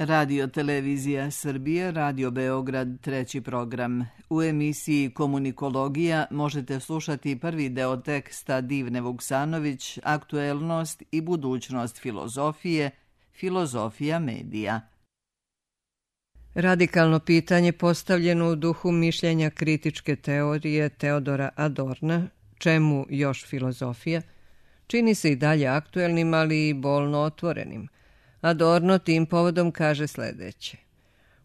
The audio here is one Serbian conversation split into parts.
Radio Televizija Srbije, Radio Beograd, treći program. U emisiji Komunikologija možete slušati prvi deo teksta Divne Vuksanović, Aktuelnost i budućnost filozofije, filozofija medija. Radikalno pitanje postavljeno u duhu mišljenja kritičke teorije Teodora Adorna, čemu još filozofija, čini se i dalje aktuelnim, ali i bolno otvorenim. Adorno tim povodom kaže sljedeće.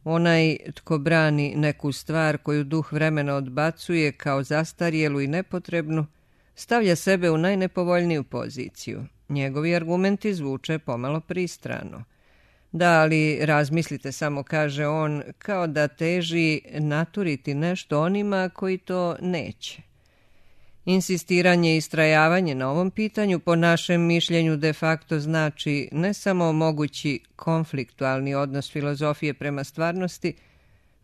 Onaj tko brani neku stvar koju duh vremena odbacuje kao zastarjelu i nepotrebnu, stavlja sebe u najnepovoljniju poziciju. Njegovi argumenti zvuče pomalo pristrano. Da, ali razmislite samo, kaže on, kao da teži naturiti nešto onima koji to neće. Insistiranje i istrajavanje na ovom pitanju po našem mišljenju de facto znači ne samo mogući konfliktualni odnos filozofije prema stvarnosti,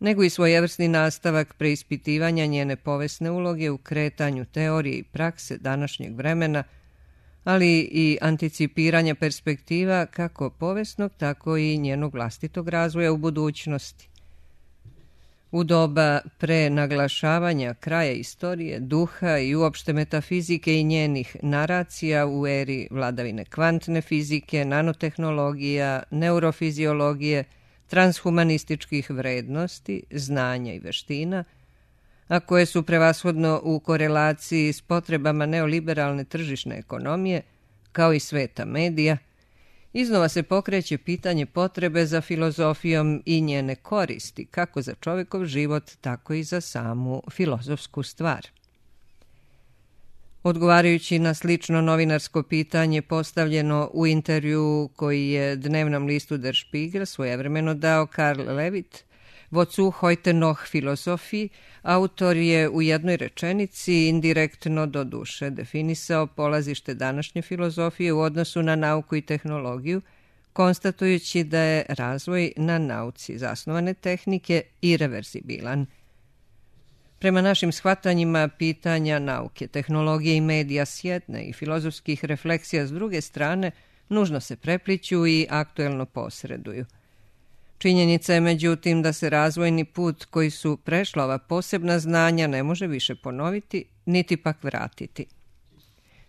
nego i svojevrsni nastavak preispitivanja njene povesne uloge u kretanju teorije i prakse današnjeg vremena, ali i anticipiranja perspektiva kako povesnog, tako i njenog vlastitog razvoja u budućnosti. U doba prenaglašavanja kraja istorije, duha i uopšte metafizike i njenih naracija u eri vladavine kvantne fizike, nanotehnologija, neurofiziologije, transhumanističkih vrednosti, znanja i veština, a koje su prevashodno u korelaciji s potrebama neoliberalne tržišne ekonomije, kao i sveta medija, iznova se pokreće pitanje potrebe za filozofijom i njene koristi, kako za čovjekov život, tako i za samu filozofsku stvar. Odgovarajući na slično novinarsko pitanje postavljeno u intervju koji je dnevnom listu Der Spiegel svojevremeno dao Karl Levit, Wozu heute noch Philosophie, autor je u jednoj rečenici indirektno do duše definisao polazište današnje filozofije u odnosu na nauku i tehnologiju, konstatujući da je razvoj na nauci zasnovane tehnike irreverzibilan. Prema našim shvatanjima pitanja nauke, tehnologije i medija s jedne i filozofskih refleksija s druge strane nužno se prepliću i aktuelno posreduju. Činjenica je međutim da se razvojni put koji su prešla ova posebna znanja ne može više ponoviti, niti pak vratiti.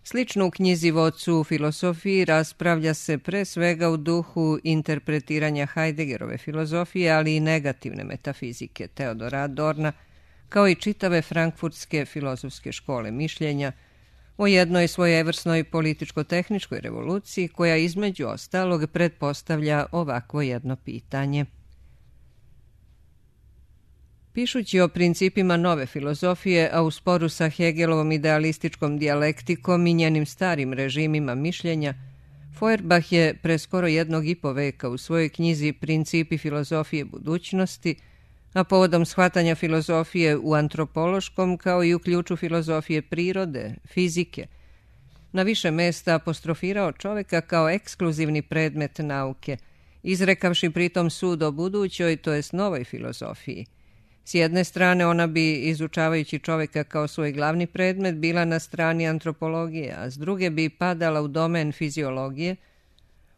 Slično u knjizi Wozu filozofiji raspravlja se pre svega u duhu interpretiranja Heideggerove filozofije, ali i negativne metafizike Teodora Adorna, kao i čitave frankfurtske filozofske škole mišljenja, o jednoj svojevrsnoj političko-tehničkoj revoluciji koja između ostalog pretpostavlja ovakvo jedno pitanje. Pišući o principima nove filozofije, a u sporu sa Hegelovom idealističkom dijalektikom i njenim starim režimima mišljenja, Feuerbach je pre skoro 1,5 veka u svojoj knjizi Principi filozofije budućnosti, a povodom shvatanja filozofije u antropološkom kao i u ključu filozofije prirode, fizike, na više mesta apostrofirao čoveka kao ekskluzivni predmet nauke, izrekavši pritom sud o budućoj, to jest novoj filozofiji. S jedne strane ona bi, izučavajući čoveka kao svoj glavni predmet, bila na strani antropologije, a s druge bi padala u domen fiziologije,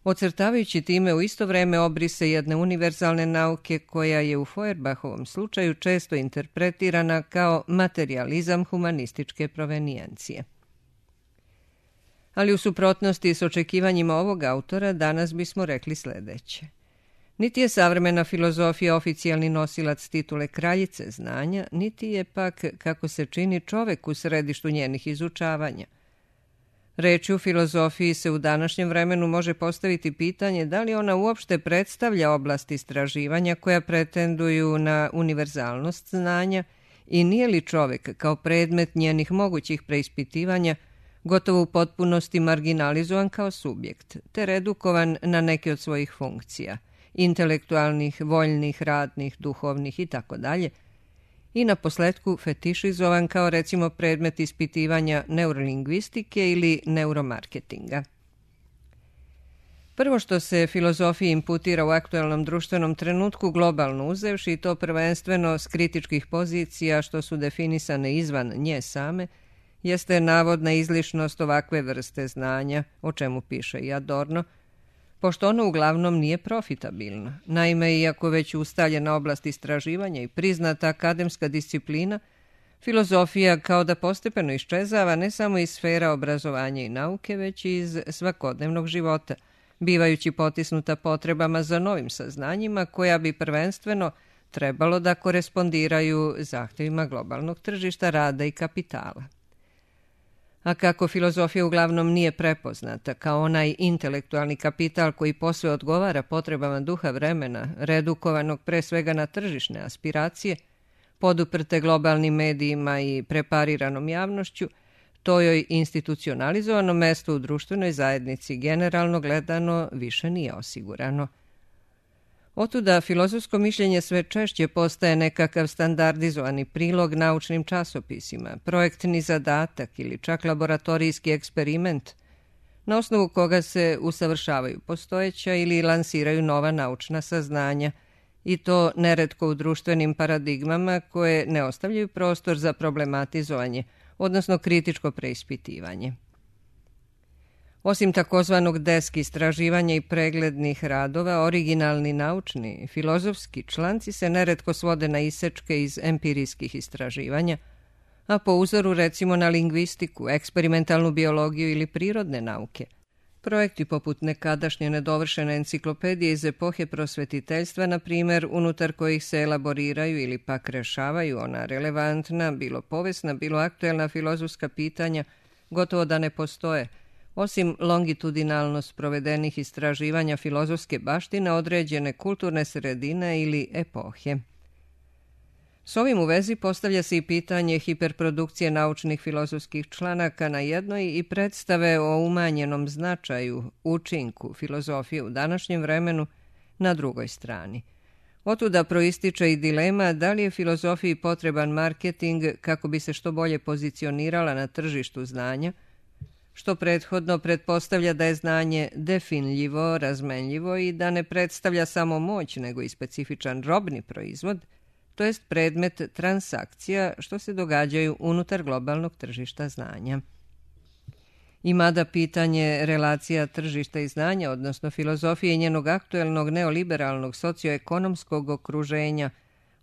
ocrtavajući time u isto vreme obrise jedne univerzalne nauke koja je u Feuerbachovom slučaju često interpretirana kao materijalizam humanističke provenijencije. Ali u suprotnosti s očekivanjima ovog autora danas bismo rekli sljedeće. Niti je savremena filozofija oficijalni nosilac titule kraljice znanja, niti je pak, kako se čini, čovek u središtu njenih izučavanja. Reči u filozofiji se u današnjem vremenu može postaviti pitanje da li ona uopšte predstavlja oblast istraživanja koja pretenduju na univerzalnost znanja i nije li čovek kao predmet njenih mogućih preispitivanja gotovo u potpunosti marginalizovan kao subjekt, te redukovan na neke od svojih funkcija, intelektualnih, voljnih, radnih, duhovnih itd., i na posletku fetišizovan kao recimo predmet ispitivanja neurolingvistike ili neuromarketinga. Prvo što se filozofiji imputira u aktualnom društvenom trenutku globalno uzevši, i to prvenstveno s kritičkih pozicija što su definisane izvan nje same, jeste navodna izlišnost ovakve vrste znanja, o čemu piše i Adorno, pošto ono uglavnom nije profitabilno. Naime, iako već ustaljena oblast istraživanja i priznata akademska disciplina, filozofija kao da postepeno iščezava ne samo iz sfera obrazovanja i nauke, već i iz svakodnevnog života, bivajući potisnuta potrebama za novim saznanjima koja bi prvenstveno trebalo da korespondiraju zahtjevima globalnog tržišta rada i kapitala. A kako filozofija uglavnom nije prepoznata kao onaj intelektualni kapital koji posve odgovara potrebama duha vremena, redukovanog pre svega na tržišne aspiracije, poduprte globalnim medijima i prepariranom javnošću, to joj institucionalizovano mesto u društvenoj zajednici generalno gledano više nije osigurano. Otuda filozofsko mišljenje sve češće postaje nekakav standardizovani prilog naučnim časopisima, projektni zadatak ili čak laboratorijski eksperiment, na osnovu koga se usavršavaju postojeća ili lansiraju nova naučna saznanja, i to neretko u društvenim paradigmama koje ne ostavljaju prostor za problematizovanje, odnosno kritičko preispitivanje. Osim takozvanog desk istraživanja i preglednih radova, originalni naučni, filozofski članci se neretko svode na isečke iz empirijskih istraživanja, a po uzoru recimo na lingvistiku, eksperimentalnu biologiju ili prirodne nauke. Projekti poput nekadašnje nedovršene enciklopedije iz epohe prosvetiteljstva, na primjer, unutar kojih se elaboriraju ili pak rešavaju ona relevantna, bilo povijesna, bilo aktuelna filozofska pitanja, gotovo da ne postoje, osim longitudinalno sprovedenih istraživanja filozofske baštine određene kulturne sredine ili epohe. S ovim u vezi postavlja se i pitanje hiperprodukcije naučnih filozofskih članaka na jednoj i predstave o umanjenom značaju, učinku filozofije u današnjem vremenu na drugoj strani. Otuda proističe i dilema da li je filozofiji potreban marketing kako bi se što bolje pozicionirala na tržištu znanja, što prethodno pretpostavlja da je znanje definljivo, razmenljivo i da ne predstavlja samo moć, nego i specifičan robni proizvod, to jest predmet transakcija što se događaju unutar globalnog tržišta znanja. I mada pitanje relacija tržišta i znanja, odnosno filozofije i njenog aktuelnog neoliberalnog socioekonomskog okruženja,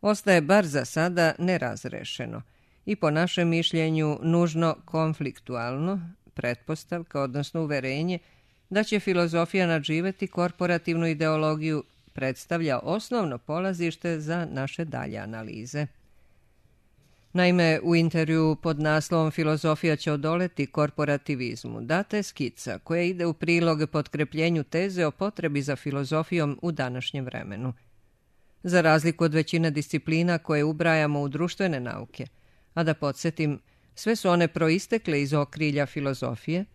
ostaje bar za sada nerazrešeno i po našem mišljenju nužno konfliktualno, pretpostavka, odnosno uverenje, da će filozofija nadživeti korporativnu ideologiju predstavlja osnovno polazište za naše dalje analize. Naime, u intervju pod naslovom Filozofija će odoleti korporativizmu data je skica koja ide u prilog potkrepljenju teze o potrebi za filozofijom u današnjem vremenu. Za razliku od većine disciplina koje ubrajamo u društvene nauke, a da podsjetim, sve su one proistekle iz okrilja filozofije,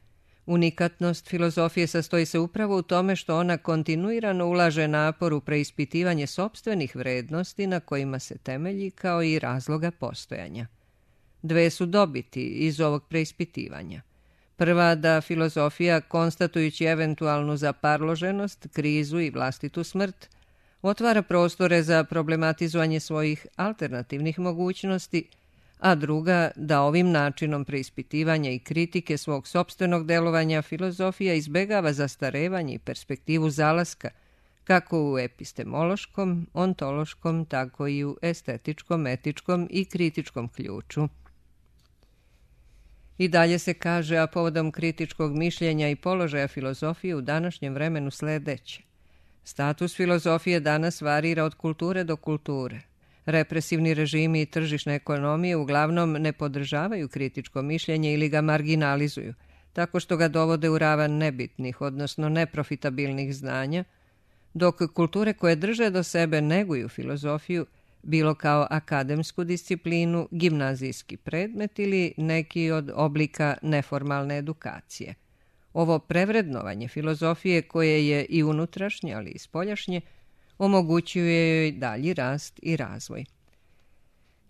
unikatnost filozofije sastoji se upravo u tome što ona kontinuirano ulaže napor u preispitivanje sopstvenih vrednosti na kojima se temelji kao i razloga postojanja. Dve su dobiti iz ovog preispitivanja. Prva, da filozofija, konstatujući eventualnu zaparloženost, krizu i vlastitu smrt, otvara prostore za problematizovanje svojih alternativnih mogućnosti, a druga, da ovim načinom preispitivanja i kritike svog sopstvenog delovanja filozofija izbegava zastarevanje i perspektivu zalaska, kako u epistemološkom, ontološkom, tako i u estetičkom, etičkom i kritičkom ključu. I dalje se kaže, a povodom kritičkog mišljenja i položaja filozofije u današnjem vremenu sledeće. Status filozofije danas varira od kulture do kulture. Represivni režimi i tržišne ekonomije uglavnom ne podržavaju kritičko mišljenje ili ga marginalizuju, tako što ga dovode u ravan nebitnih, odnosno neprofitabilnih znanja, dok kulture koje drže do sebe neguju filozofiju, bilo kao akademsku disciplinu, gimnazijski predmet ili neki od oblika neformalne edukacije. Ovo prevrednovanje filozofije, koje je i unutrašnje, ali i spoljašnje, omogućuje joj dalji rast i razvoj.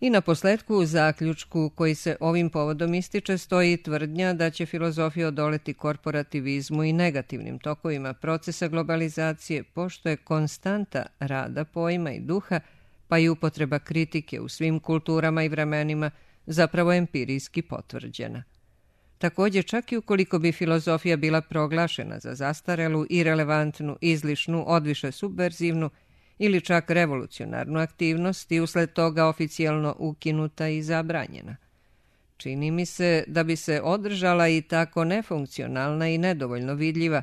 I na posledku u zaključku koji se ovim povodom ističe stoji tvrdnja da će filozofija odoleti korporativizmu i negativnim tokovima procesa globalizacije, pošto je konstanta rada pojma i duha, pa i upotreba kritike u svim kulturama i vremenima zapravo empirijski potvrđena. Također, čak i ukoliko bi filozofija bila proglašena za zastarelu, irelevantnu, izlišnu, odviše subverzivnu ili čak revolucionarnu aktivnost i usled toga oficijalno ukinuta i zabranjena. Čini mi se da bi se održala i tako nefunkcionalna i nedovoljno vidljiva,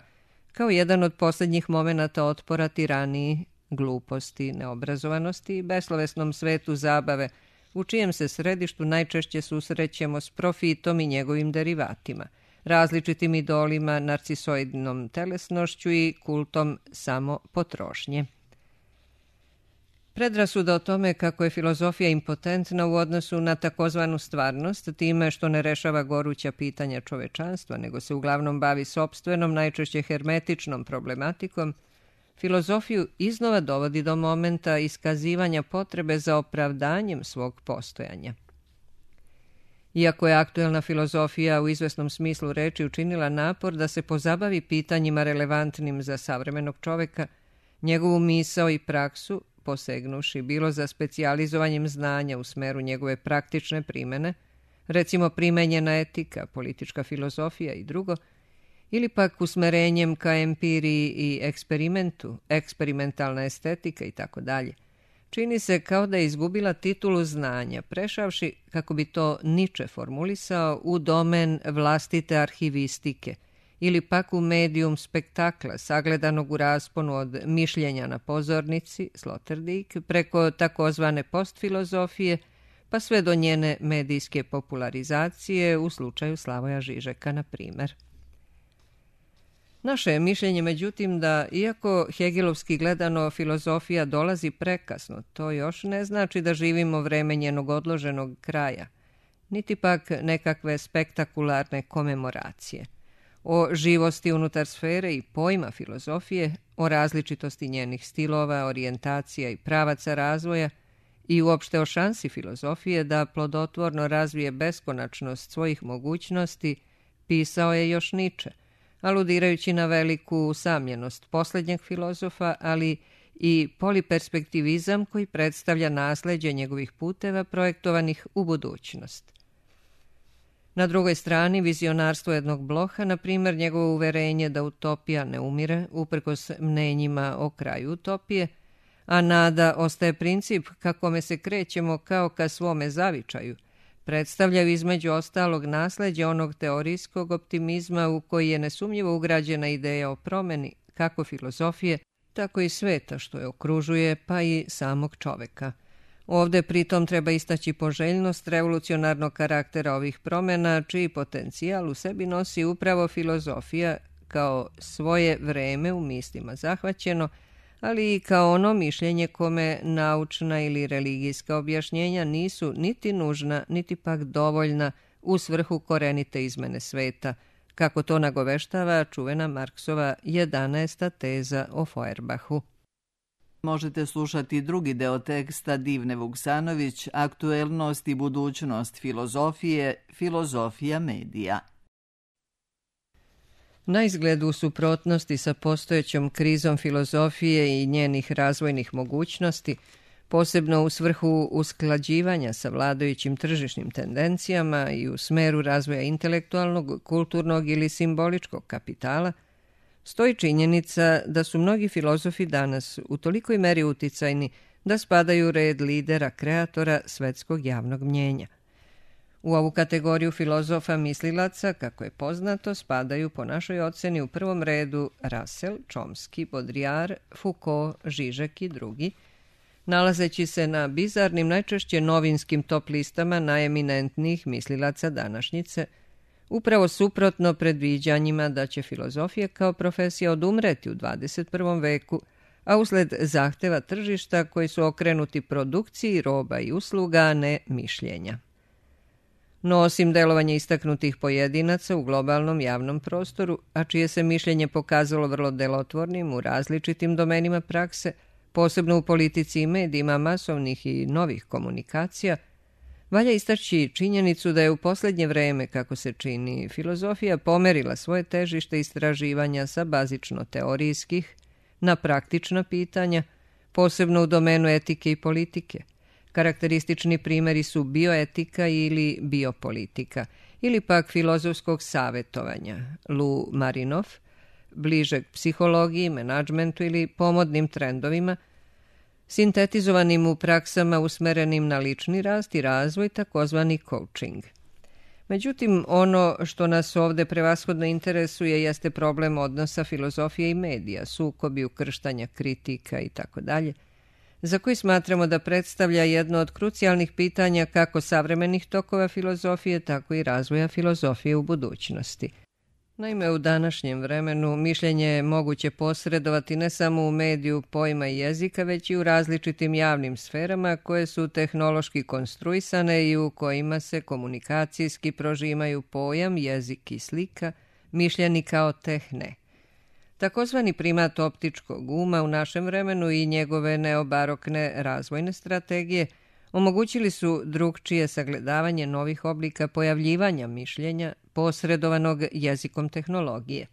kao jedan od posljednjih momenata otpora tiraniji, gluposti, neobrazovanosti i beslovesnom svetu zabave, u čijem se središtu najčešće susrećemo s profitom i njegovim derivatima, različitim idolima, narcisoidnom telesnošću i kultom samo potrošnje. Predrasuda o tome kako je filozofija impotentna u odnosu na takozvanu stvarnost, time što ne rešava goruća pitanja čovečanstva, nego se uglavnom bavi sopstvenom, najčešće hermetičnom problematikom, filozofiju iznova dovodi do momenta iskazivanja potrebe za opravdanjem svog postojanja. Iako je aktuelna filozofija u izvesnom smislu reči učinila napor da se pozabavi pitanjima relevantnim za savremenog čoveka, njegovu misao i praksu, posegnuši bilo za specijalizovanjem znanja u smeru njegove praktične primene, recimo primenjena etika, politička filozofija i drugo, ili pak usmerenjem ka empiriji i eksperimentu, eksperimentalna estetika i tako dalje. Čini se kao da je izgubila titulu znanja, prešavši, kako bi to Nietzsche formulisao, u domen vlastite arhivistike, ili pak u medijum spektakla, sagledanog u rasponu od mišljenja na pozornici, Sloterdijk, preko takozvane postfilozofije, pa sve do njene medijske popularizacije u slučaju Slavoja Žižeka, na primer. Naše je mišljenje, međutim, da iako hegelovski gledano filozofija dolazi prekasno, to još ne znači da živimo vreme njenog odloženog kraja, niti pak nekakve spektakularne komemoracije. O živosti unutar sfere i pojma filozofije, o različitosti njenih stilova, orijentacija i pravaca razvoja i uopšte o šansi filozofije da plodotvorno razvije beskonačnost svojih mogućnosti, pisao je još Nietzsche, aludirajući na veliku usamljenost posljednjeg filozofa, ali i poliperspektivizam koji predstavlja nasleđe njegovih puteva projektovanih u budućnost. Na drugoj strani, vizionarstvo jednog Bloha, na primjer njegovo uverenje da utopija ne umire, uprkos mnenjima o kraju utopije, a nada ostaje princip kakome se krećemo kao ka svome zavičaju, predstavljaju između ostalog nasleđe onog teorijskog optimizma u koji je nesumnjivo ugrađena ideja o promeni kako filozofije, tako i sveta što je okružuje, pa i samog čoveka. Ovde pritom treba istaći poželjnost revolucionarnog karaktera ovih promjena, čiji potencijal u sebi nosi upravo filozofija kao svoje vreme u mislima zahvaćeno, ali i kao ono mišljenje kome naučna ili religijska objašnjenja nisu niti nužna, niti pak dovoljna u svrhu korenite izmene sveta, kako to nagoveštava čuvena Marksova 11. teza o Feuerbachu. Možete slušati drugi deo teksta Divne Vuksanović, Aktuelnost i budućnost filozofije, filozofija medija. Na izgled u suprotnosti sa postojećom krizom filozofije i njenih razvojnih mogućnosti, posebno u svrhu usklađivanja sa vladajućim tržišnim tendencijama i u smeru razvoja intelektualnog, kulturnog ili simboličkog kapitala, stoji činjenica da su mnogi filozofi danas u tolikoj meri uticajni da spadaju u red lidera, kreatora svetskog javnog mnjenja. U ovu kategoriju filozofa mislilaca, kako je poznato, spadaju po našoj oceni u prvom redu Russell, Chomsky, Baudrillard, Foucault, Žižek i drugi, nalazeći se na bizarnim, najčešće novinskim top listama najeminentnijih mislilaca današnjice, upravo suprotno predviđanjima da će filozofija kao profesija odumreti u 21. veku, a usled zahteva tržišta koji su okrenuti produkciji roba i usluga, a ne mišljenja. No, osim delovanja istaknutih pojedinaca u globalnom javnom prostoru, a čije se mišljenje pokazalo vrlo delotvornim u različitim domenima prakse, posebno u politici i medijima masovnih i novih komunikacija, valja istaći činjenicu da je u posljednje vreme, kako se čini, filozofija pomerila svoje težište istraživanja sa bazično teorijskih na praktična pitanja, posebno u domenu etike i politike. Karakteristični primjeri su bioetika ili biopolitika ili pak filozofskog savjetovanja, Lou Marinoff, bližeg psihologiji, menadžmentu ili pomodnim trendovima, sintetizovanim u praksama usmerenim na lični rast i razvoj, takozvani coaching. Međutim, ono što nas ovde prevashodno interesuje jeste problem odnosa filozofije i medija, sukobi, ukrštanja, kritika itd., za koji smatramo da predstavlja jedno od krucijalnih pitanja kako savremenih tokova filozofije, tako i razvoja filozofije u budućnosti. Naime, u današnjem vremenu mišljenje je moguće posredovati ne samo u mediju pojma i jezika, već i u različitim javnim sferama koje su tehnološki konstruisane i u kojima se komunikacijski prožimaju pojam, jezik i slika, mišljeni kao tehne. Takozvani primat optičkog uma u našem vremenu i njegove neobarokne razvojne strategije omogućili su drugčije sagledavanje novih oblika pojavljivanja mišljenja posredovanog jezikom tehnologije.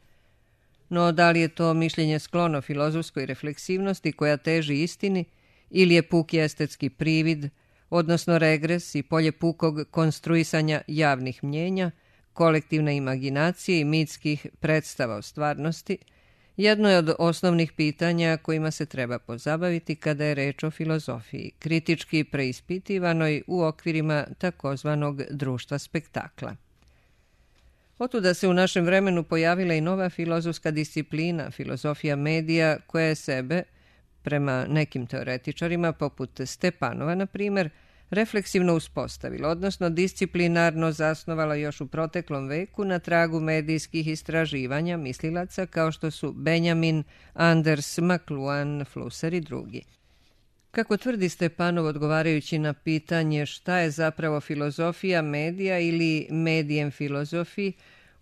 No, da li je to mišljenje sklono filozofskoj refleksivnosti koja teži istini ili je puki estetski privid, odnosno regres i polje pukog konstruisanja javnih mnjenja, kolektivne imaginacije i mitskih predstava o stvarnosti, jedno je od osnovnih pitanja kojima se treba pozabaviti kada je reč o filozofiji, kritički preispitivanoj u okvirima takozvanog društva spektakla. Otuda se u našem vremenu pojavila i nova filozofska disciplina, filozofija medija, koja je sebe, prema nekim teoretičarima, poput Stepanova, na primjer, refleksivno uspostavila, odnosno disciplinarno zasnovala još u proteklom veku na tragu medijskih istraživanja mislilaca kao što su Benjamin, Anders, McLuhan, Flusser i drugi. Kako tvrdi Stepanov odgovarajući na pitanje šta je zapravo filozofija medija ili medijem filozofiji,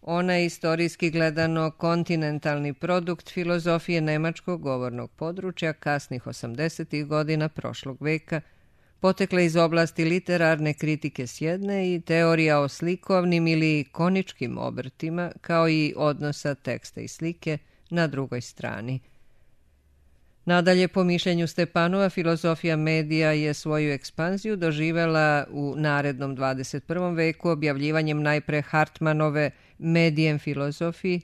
ona je istorijski gledano kontinentalni produkt filozofije nemačkog govornog područja kasnih 80. godina prošlog veka, potekla iz oblasti literarne kritike s jedne i teorija o slikovnim ili koničkim obrtima, kao i odnosa teksta i slike na drugoj strani. Nadalje, po mišljenju Stepanova, filozofija medija je svoju ekspanziju doživela u narednom 21. veku objavljivanjem najpre Hartmanove medijem filozofiji,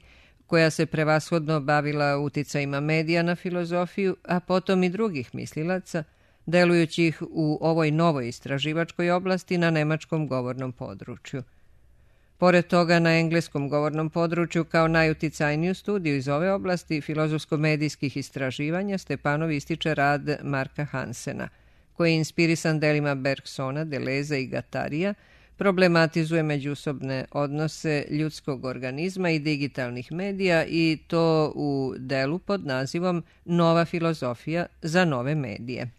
koja se prevashodno bavila uticajima medija na filozofiju, a potom i drugih mislilaca, delujući ih u ovoj novoj istraživačkoj oblasti na nemačkom govornom području. Pored toga, na engleskom govornom području kao najuticajniju studiju iz ove oblasti filozofsko-medijskih istraživanja Stepanov ističe rad Marka Hansena, koji je inspirisan delima Bergsona, Deleza i Guattarija, problematizuje međusobne odnose ljudskog organizma i digitalnih medija i to u delu pod nazivom Nova filozofija za nove medije.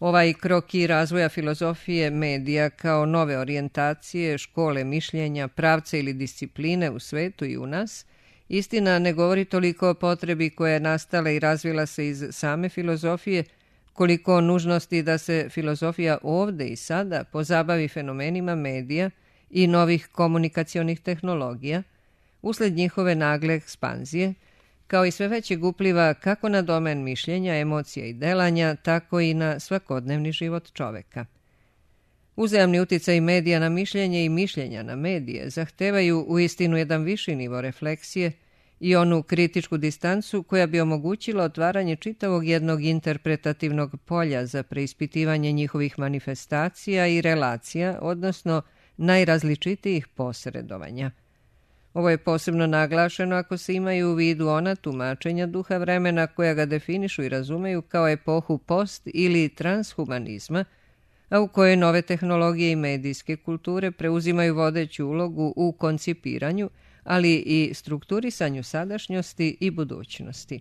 Ovaj kroki razvoja filozofije medija kao nove orijentacije, škole mišljenja, pravce ili discipline u svetu i u nas, istina ne govori toliko o potrebi koja je nastala i razvila se iz same filozofije, koliko o nužnosti da se filozofija ovde i sada pozabavi fenomenima medija i novih komunikacionih tehnologija, usled njihove nagle ekspanzije, kao i sve većeg upliva kako na domen mišljenja, emocija i delanja, tako i na svakodnevni život čoveka. Uzajamni uticaj medija na mišljenje i mišljenja na medije zahtevaju uistinu jedan viši nivo refleksije i onu kritičku distancu koja bi omogućila otvaranje čitavog jednog interpretativnog polja za preispitivanje njihovih manifestacija i relacija, odnosno najrazličitijih posredovanja. Ovo je posebno naglašeno ako se imaju u vidu ona tumačenja duha vremena koja ga definišu i razumeju kao epohu post- ili transhumanizma, a u kojoj nove tehnologije i medijske kulture preuzimaju vodeću ulogu u koncipiranju, ali i strukturisanju sadašnjosti i budućnosti.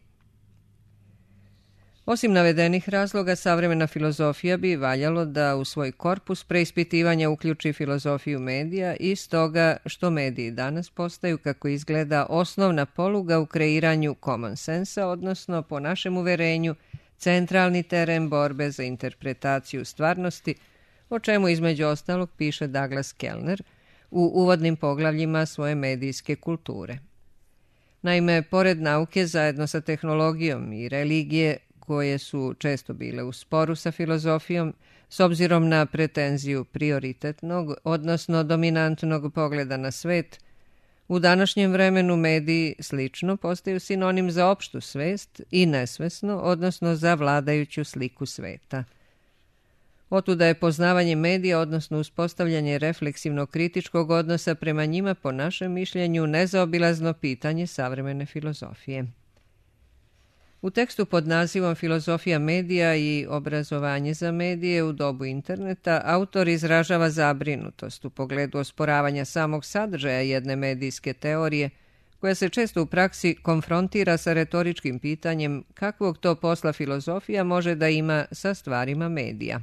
Osim navedenih razloga, savremena filozofija bi valjalo da u svoj korpus preispitivanja uključi filozofiju medija i stoga što mediji danas postaju, kako izgleda, osnovna poluga u kreiranju common sensa, odnosno, po našem uverenju, centralni teren borbe za interpretaciju stvarnosti, o čemu između ostalog piše Douglas Kellner u uvodnim poglavljima svoje medijske kulture. Naime, pored nauke zajedno sa tehnologijom i religije, koje su često bile u sporu sa filozofijom s obzirom na pretenziju prioritetnog, odnosno dominantnog pogleda na svet, u današnjem vremenu mediji slično postaju sinonim za opštu svest i nesvesno, odnosno za vladajuću sliku sveta. Otuda je poznavanje medija, odnosno uspostavljanje refleksivnog kritičkog odnosa prema njima, po našem mišljenju, nezaobilazno pitanje savremene filozofije. U tekstu pod nazivom Filozofija medija i obrazovanje za medije u dobu interneta autor izražava zabrinutost u pogledu osporavanja samog sadržaja jedne medijske teorije, koja se često u praksi konfrontira sa retoričkim pitanjem kakvog to posla filozofija može da ima sa stvarima medija.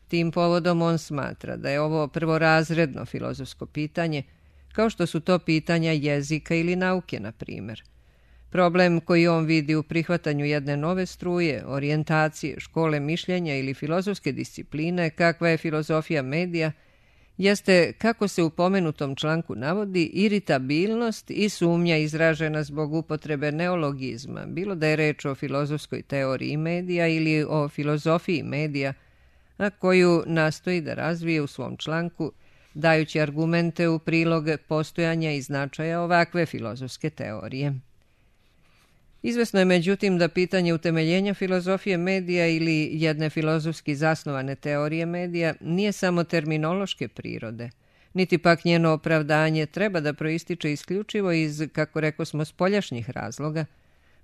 Tim povodom on smatra da je ovo prvorazredno filozofsko pitanje, kao što su to pitanja jezika ili nauke, na primjer. Problem koji on vidi u prihvatanju jedne nove struje, orijentacije, škole mišljenja ili filozofske discipline, kakva je filozofija medija, jeste, kako se u pomenutom članku navodi, iritabilnost i sumnja izražena zbog upotrebe neologizma, bilo da je reč o filozofskoj teoriji medija ili o filozofiji medija, a koju nastoji da razvije u svom članku, dajući argumente u prilog postojanja i značaja ovakve filozofske teorije. Izvesno je međutim da pitanje utemeljenja filozofije medija ili jedne filozofski zasnovane teorije medija nije samo terminološke prirode, niti pak njeno opravdanje treba da proističe isključivo iz, kako rekosmo, spoljašnjih razloga,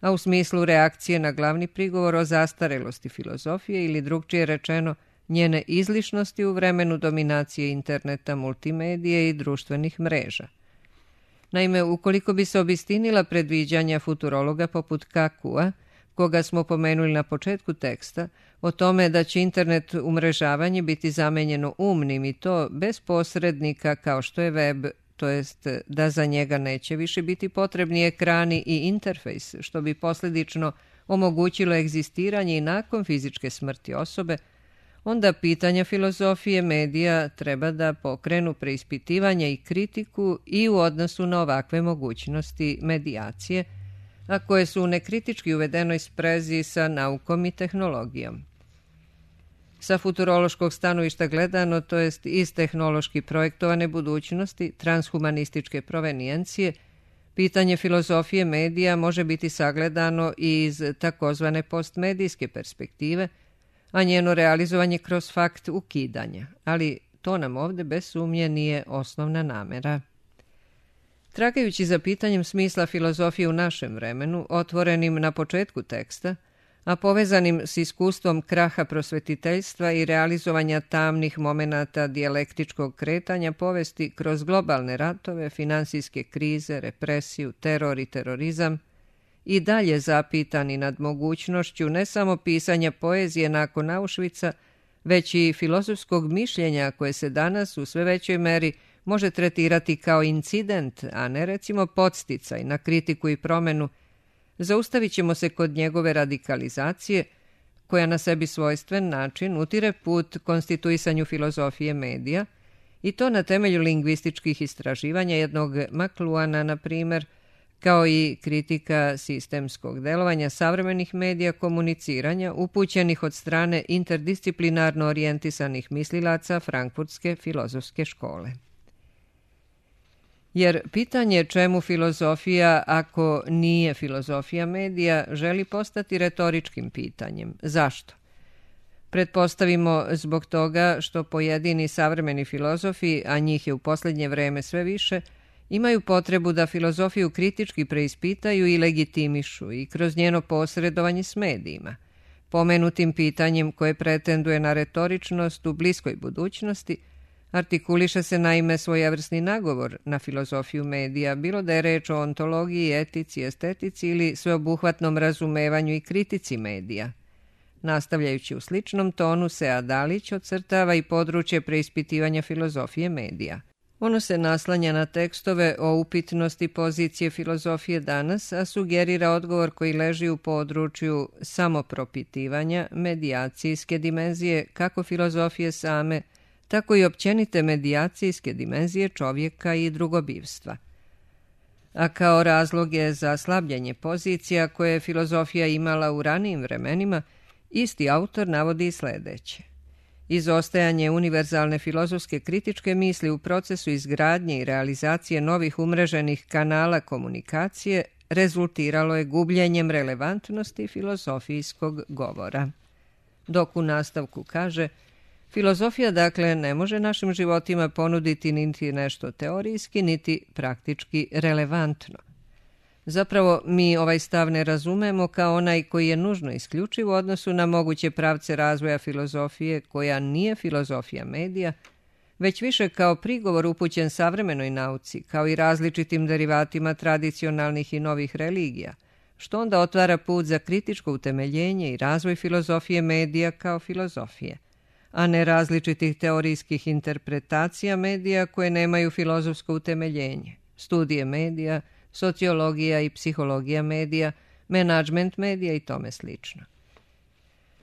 a u smislu reakcije na glavni prigovor o zastarelosti filozofije ili drugčije rečeno njene izlišnosti u vremenu dominacije interneta, multimedije i društvenih mreža. Naime, ukoliko bi se obistinila predviđanja futurologa poput Kakua, koga smo pomenuli na početku teksta, o tome da će internet umrežavanje biti zamenjeno umnim i to bez posrednika kao što je web, to jest da za njega neće više biti potrebni ekrani i interfejs, što bi posljedično omogućilo egzistiranje i nakon fizičke smrti osobe, onda pitanja filozofije medija treba da pokrenu preispitivanje i kritiku i u odnosu na ovakve mogućnosti medijacije, a koje su u nekritički uvedenoj sprezi sa naukom i tehnologijom. Sa futurološkog stanovišta gledano, to jest iz tehnološki projektovane budućnosti, transhumanističke provenijencije, pitanje filozofije medija može biti sagledano i iz takozvane postmedijske perspektive, a njeno realizovanje kroz fakt ukidanja, ali to nam ovde bez sumnje nije osnovna namera. Tragajući za pitanjem smisla filozofije u našem vremenu, otvorenim na početku teksta, a povezanim s iskustvom kraha prosvetiteljstva i realizovanja tamnih momenata dijalektičkog kretanja povesti kroz globalne ratove, finansijske krize, represiju, teror i terorizam, i dalje zapitani nad mogućnošću ne samo pisanja poezije nakon Auschwitza, već i filozofskog mišljenja koje se danas u sve većoj meri može tretirati kao incident, a ne recimo podsticaj na kritiku i promenu, zaustavit ćemo se kod njegove radikalizacije, koja na sebi svojstven način utire put konstituisanju filozofije medija, i to na temelju lingvističkih istraživanja jednog McLuhana, na primjer, kao i kritika sistemskog delovanja savremenih medija komuniciranja upućenih od strane interdisciplinarno orijentisanih mislilaca Frankfurtske filozofske škole. Jer pitanje čemu filozofija ako nije filozofija medija želi postati retoričkim pitanjem. Zašto? Pretpostavimo zbog toga što pojedini savremeni filozofi, a njih je u posljednje vreme sve više, imaju potrebu da filozofiju kritički preispitaju i legitimišu i kroz njeno posredovanje s medijima. Pomenutim pitanjem koje pretenduje na retoričnost u bliskoj budućnosti, artikuliše se naime svojevrsni nagovor na filozofiju medija, bilo da je reč o ontologiji, etici, estetici ili sveobuhvatnom razumevanju i kritici medija. Nastavljajući u sličnom tonu, Sead Dalić ocrtava i područje preispitivanja filozofije medija. Ono se naslanja na tekstove o upitnosti pozicije filozofije danas, a sugerira odgovor koji leži u području samopropitivanja, medijacijske dimenzije, kako filozofije same, tako i općenite medijacijske dimenzije čovjeka i drugobivstva. a kao razlog je za slabljenje pozicija koje je filozofija imala u ranijim vremenima, isti autor navodi sledeće. Izostajanje univerzalne filozofske kritičke misli u procesu izgradnje i realizacije novih umreženih kanala komunikacije rezultiralo je gubljenjem relevantnosti filozofijskog govora. Dok u nastavku kaže, filozofija dakle ne može našim životima ponuditi niti nešto teorijski, niti praktički relevantno. Zapravo, mi ovaj stav ne razumemo kao onaj koji je nužno isključiv u odnosu na moguće pravce razvoja filozofije koja nije filozofija medija, već više kao prigovor upućen savremenoj nauci, kao i različitim derivatima tradicionalnih i novih religija, što onda otvara put za kritičko utemeljenje i razvoj filozofije medija kao filozofije, a ne različitih teorijskih interpretacija medija koje nemaju filozofsko utemeljenje, studije medija, sociologija i psihologija medija, menadžment medija i tome slično.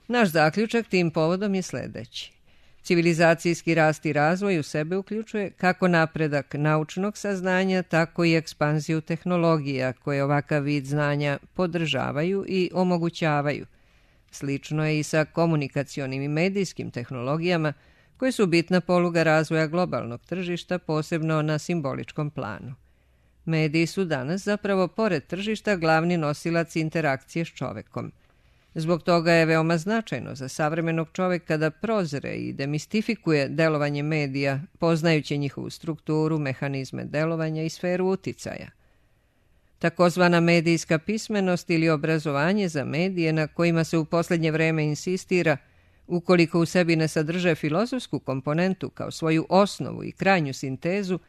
Naš zaključak tim povodom je sledeći. Civilizacijski rast i razvoj u sebe uključuje kako napredak naučnog saznanja, tako i ekspanziju tehnologija koje ovakav vid znanja podržavaju i omogućavaju. Slično je i sa komunikacionim i medijskim tehnologijama koje su bitna poluga razvoja globalnog tržišta, posebno na simboličkom planu. Mediji su danas zapravo, pored tržišta, glavni nosilac interakcije s čovekom. Zbog toga je veoma značajno za savremenog čoveka da prozre i demistifikuje delovanje medija, poznajući njihovu strukturu, mehanizme delovanja i sferu uticaja. Takozvana medijska pismenost ili obrazovanje za medije na kojima se u posljednje vreme insistira, ukoliko u sebi ne sadrže filozofsku komponentu kao svoju osnovu i krajnju sintezu,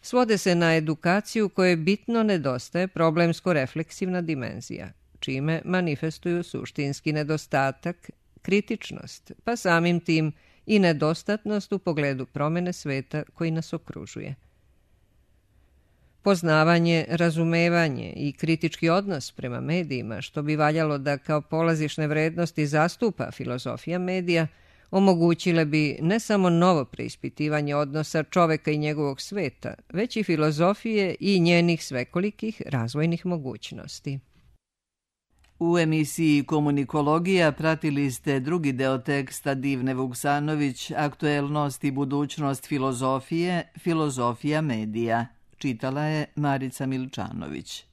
svode se na edukaciju kojoj bitno nedostaje problemsko-refleksivna dimenzija, čime manifestuju suštinski nedostatak, kritičnost, pa samim tim i nedostatnost u pogledu promene sveta koji nas okružuje. Poznavanje, razumevanje i kritički odnos prema medijima, što bi valjalo da kao polazišne vrednosti zastupa filozofija medija, omogućile bi ne samo novo preispitivanje odnosa čoveka i njegovog sveta, već i filozofije i njenih svekolikih razvojnih mogućnosti. U emisiji Komunikologija pratili ste drugi deo teksta Divne Vuksanović, Aktuelnost i budućnost filozofije, filozofija medija. Čitala je Marica Milčanović.